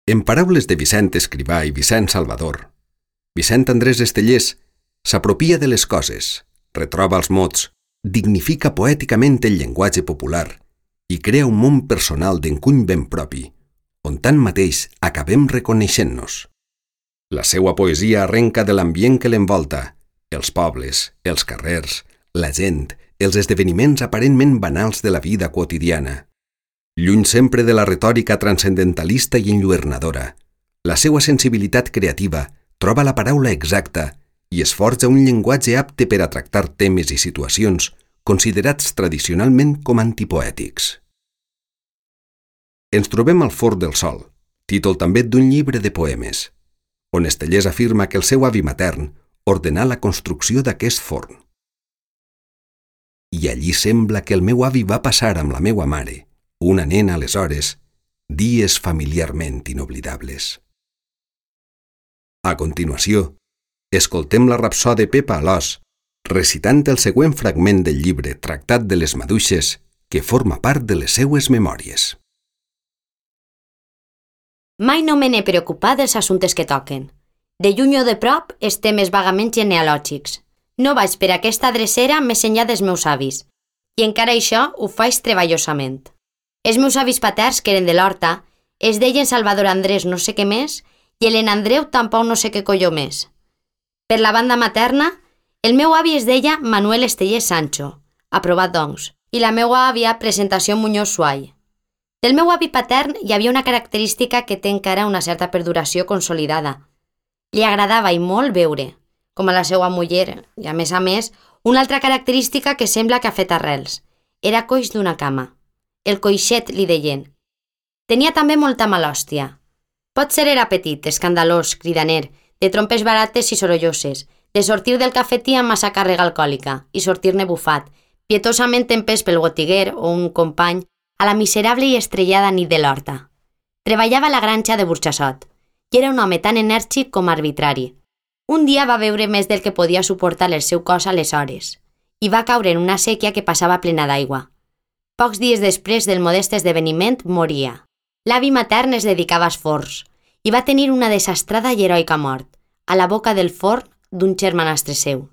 En paraules de Vicent Escrivà i Vicent Salvador, Vicent Andrés Estellés s'apropia de les coses, retroba els mots, dignifica poèticament el llenguatge popular i crea un món personal d'encuny ben propi, on tanmateix acabem reconeixent-nos. La seua poesia arrenca de l'ambient que l'envolta, els pobles, els carrers, la gent, els esdeveniments aparentment banals de la vida quotidiana. Lluny sempre de la retòrica transcendentalista i enlluernadora, la seua sensibilitat creativa troba la paraula exacta i es forja un llenguatge apte per a tractar temes i situacions considerats tradicionalment com antipoètics. Ens trobem al Forn del Sol, títol també d'un llibre de poemes, on Estellés afirma que el seu avi matern ordenà la construcció d'aquest forn. I allí sembla que el meu avi va passar amb la meua mare, una nena aleshores, dies familiarment inoblidables. A continuació, escoltem la rapsòdia de Pepa Alòs, recitant el següent fragment del llibre Tractat de les Maduixes, que forma part de les seues memòries. Mai no me n'he preocupat dels assumptes que toquen. De lluny o de prop, els temes vagament genealògics. No vaig per aquesta drecera més enllà dels meus avis, i encara això ho faig treballosament. Els meus avis paterns, que eren de l'Horta, es deien Salvador Andrés no sé què més i Helena Andreu tampoc no sé què colló més. Per la banda materna, el meu avi es deia Manuel Estellés Sancho, aprovat doncs, i la meua àvia Presentació Muñoz Suay. Del meu avi patern hi havia una característica que té encara una certa perduració consolidada. Li agradava i molt beure, com a la seva muller, i a més, una altra característica que sembla que ha fet arrels. Era coix d'una cama. El coixet li deien. Tenia també molta malòstia. Potser era petit, escandalós, cridaner, de trompes barates i sorolloses, de sortir del cafetí amb massa càrrega alcohòlica i sortir-ne bufat, pietosament empès pel botiguer o un company a la miserable i estrellada nit de l'Horta. Treballava a la granja de Burxassot i era un home tan enèrgic com arbitrari. Un dia va beure més del que podia suportar el seu cos aleshores i va caure en una sèquia que passava plena d'aigua. Pocs dies després del modest esdeveniment moria. L'avi matern es dedicava als forns i va tenir una desastrada i heroica mort, a la boca del forn d'un germanastre seu.